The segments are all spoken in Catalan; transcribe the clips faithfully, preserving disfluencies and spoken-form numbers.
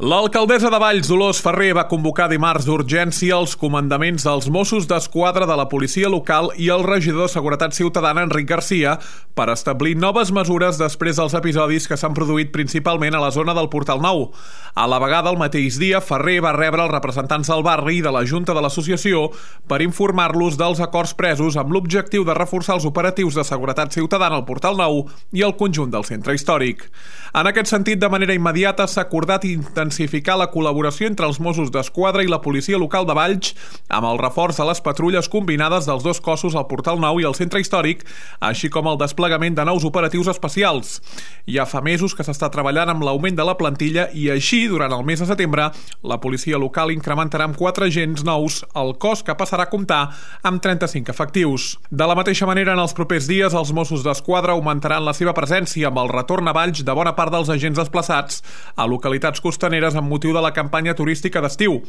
L'alcaldessa de Valls, Dolors Ferrer, va convocar dimarts d'urgència els comandaments dels Mossos d'Esquadra de la policia local i el regidor de Seguretat Ciutadana, Enric Garcia, per establir noves mesures després dels episodis que s'han produït principalment a la zona del Portal Nou. A la vegada, el mateix dia, Ferrer va rebre els representants del barri i de la Junta de l'Associació per informar-los dels acords presos amb l'objectiu de reforçar els operatius de seguretat ciutadana al Portal Nou i al conjunt del centre històric. En aquest sentit, de manera immediata, s'ha acordat intensificar la col·laboració entre els Mossos d'Esquadra i la policia local de Valls amb el reforç de les patrulles combinades dels dos cossos al Portal Nou i al centre històric, així com el desplegament de nous operatius especials. Ja fa mesos que s'està treballant amb l'augment de la plantilla i així, durant el mes de setembre, la policia local incrementarà amb quatre agents nous el cos, que passarà a comptar amb trenta-cinc efectius. De la mateixa manera, en els propers dies, els Mossos d'Esquadra augmentaran la seva presència amb el retorn a Valls de bona part dels agents desplaçats a localitats costaneres amb motiu de la campanya turística d'estiu.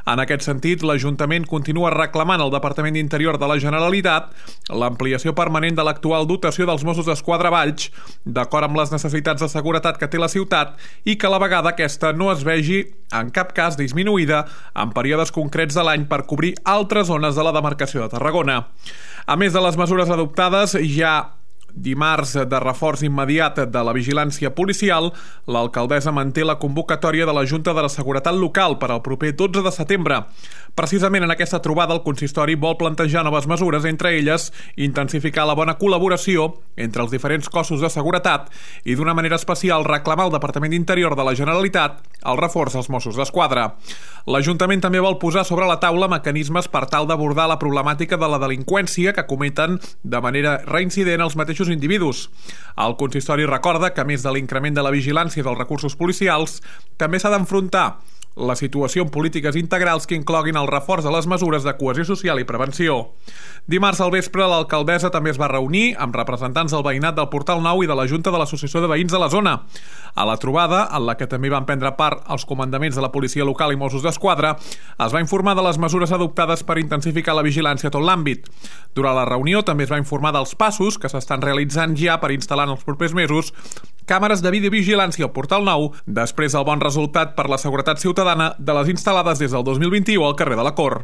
En aquest sentit, l'Ajuntament continua reclamant al Departament d'Interior de la Generalitat l'ampliació permanent de l'actual dotació dels Mossos d'Esquadra a Valls, d'acord amb les necessitats de seguretat que té la ciutat, i que a la vegada aquesta no es vegi en cap cas disminuïda en períodes concrets de l'any per cobrir altres zones de la demarcació de Tarragona. A més de les mesures adoptades, ja dimarts de reforç immediat de la vigilància policial, l'alcaldessa manté la convocatòria de la Junta de la Seguretat Local per al proper dotze de setembre. Precisament en aquesta trobada el consistori vol plantejar noves mesures, entre elles intensificar la bona col·laboració entre els diferents cossos de seguretat i d'una manera especial reclamar al Departament d'Interior de la Generalitat el reforç dels Mossos d'Esquadra. L'Ajuntament també vol posar sobre la taula mecanismes per tal d'abordar la problemàtica de la delinqüència que cometen de manera reincident els mateixos individus. El consistori recorda que, a més de l'increment de la vigilància dels recursos policials, també s'ha d'enfrontar la situació en polítiques integrals que incloguin el reforç de les mesures de cohesió social i prevenció. Dimarts al vespre, l'alcaldessa també es va reunir amb representants del veïnat del Portal Nou i de la Junta de l'Associació de Veïns de la zona. A la trobada, en la que també van prendre part els comandaments de la policia local i Mossos d'Esquadra, es va informar de les mesures adoptades per intensificar la vigilància a tot l'àmbit. Durant la reunió també es va informar dels passos que s'estan realitzant ja per instal·lar en els propers mesos càmeres de videovigilància al Portal Nou, després del bon resultat per la seguretat ciutadana de les instal·lades des del dos mil vint-i-u al carrer de la Cort.